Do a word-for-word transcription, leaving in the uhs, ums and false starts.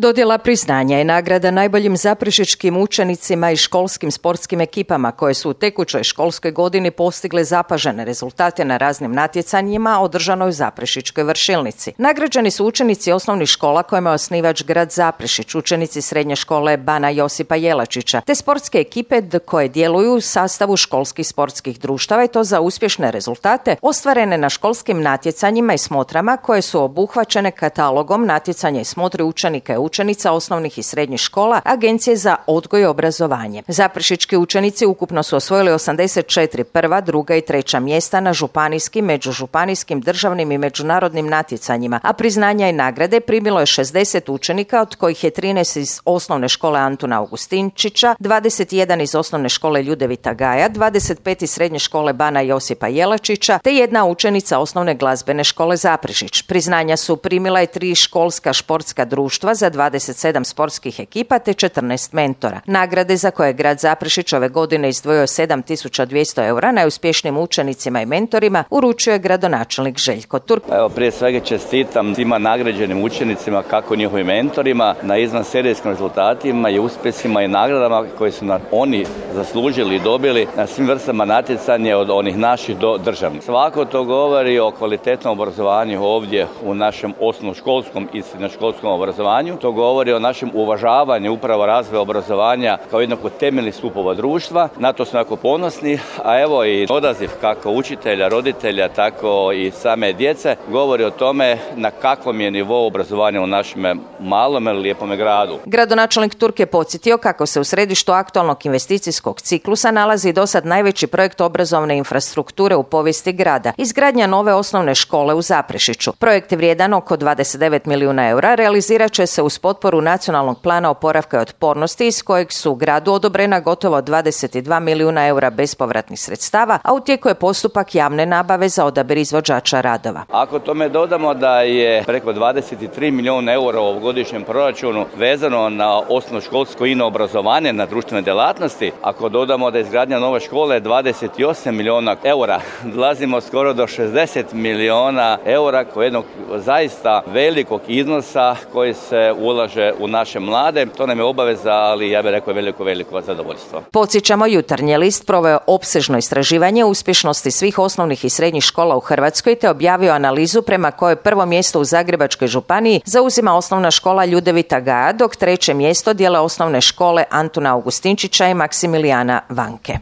Dodjela priznanja i nagrada najboljim zaprešičkim učenicima i školskim sportskim ekipama koje su u tekućoj školskoj godini postigle zapažene rezultate na raznim natjecanjima održanoj u Zaprešičkoj vršilnici. Nagrađeni su učenici osnovnih škola kojima je osnivač grad Zaprešić, učenici srednje škole Bana Josipa Jelačića, te sportske ekipe koje djeluju u sastavu školskih sportskih društava i to za uspješne rezultate ostvarene na školskim natjecanjima i smotrama koje su obuhvaćene katalogom natjecanja i smotri učenika i učenica osnovnih i srednjih škola Agencije za odgoj i obrazovanje. Zaprešički učenici ukupno su osvojili osamdeset četiri prva, druga i treća mjesta na županijskim, međužupanijskim, državnim i međunarodnim natjecanjima, a priznanja i nagrade primilo je šezdeset učenika, od kojih je trinaest iz osnovne škole Antuna Augustinčića, dvadeset jedan iz osnovne škole Ljudevita Gaja, dvadeset pet iz srednje škole Bana Josipa Jelačića, te jedna učenica osnovne glazbene škole Zaprešić. Priznanja su primila i tri školska športska društva za dvadeset sedam sportskih ekipa te četrnaest mentora. Nagrade za koje je grad Zaprešić ove godine izdvojio sedam tisuća dvjesto eura najuspješnijim učenicima i mentorima uručuje gradonačelnik Željko Turk. Evo, prije svega čestitam svima nagrađenim učenicima, kako njihovim mentorima, na izvanserijskim rezultatima i uspjesima i nagradama koje su na oni zaslužili i dobili na svim vrstama natjecanja od onih naših do državnih. Svako to govori o kvalitetnom obrazovanju ovdje u našem osnovnoškolskom i srednjoškolskom obrazovanju. To govori o našem uvažavanju upravo razvoja obrazovanja kao jednog od temeljnih stupova društva. Na to smo jako ponosni, a evo i odaziv kako učitelja, roditelja, tako i same djece govori o tome na kakvom je nivou obrazovanja u našem malom ili lijepome gradu. Gradonačelnik Turk je podsjetio kako se u središtu aktualnog investicijskog ciklusa nalazi dosad najveći projekt obrazovne infrastrukture u povijesti grada, izgradnja nove osnovne škole u Zaprešiću. Projekt je vrijedan oko dvadeset devet milijuna eura, realizirat će se uz potporu Nacionalnog plana oporavka i otpornosti iz kojeg su gradu odobrena gotovo dvadeset dva milijuna eura bespovratnih sredstava, a u tijeku je postupak javne nabave za odabir izvođača radova. Ako tome dodamo da je preko dvadeset tri milijuna eura u ovogodišnjem proračunu vezano na osnovnoškolsko ino obrazovanje na društvene djelatnosti, ako dodamo da je izgradnja nove škole dvadeset osam milijuna eura, dolazimo skoro do šezdeset milijuna eura, kao jednog zaista velikog iznosa koji se ulaže u naše mlade. To nam je obaveza, ali ja bih rekao veliko, veliko zadovoljstvo. Podsjećamo, Jutarnji list proveo opsežno istraživanje uspješnosti svih osnovnih i srednjih škola u Hrvatskoj te objavio analizu prema kojoj prvo mjesto u Zagrebačkoj županiji zauzima osnovna škola Ljudevita Gaja, dok treće mjesto dijele osnovne škole Antuna Augustinčića i Maksimilijana Vanke.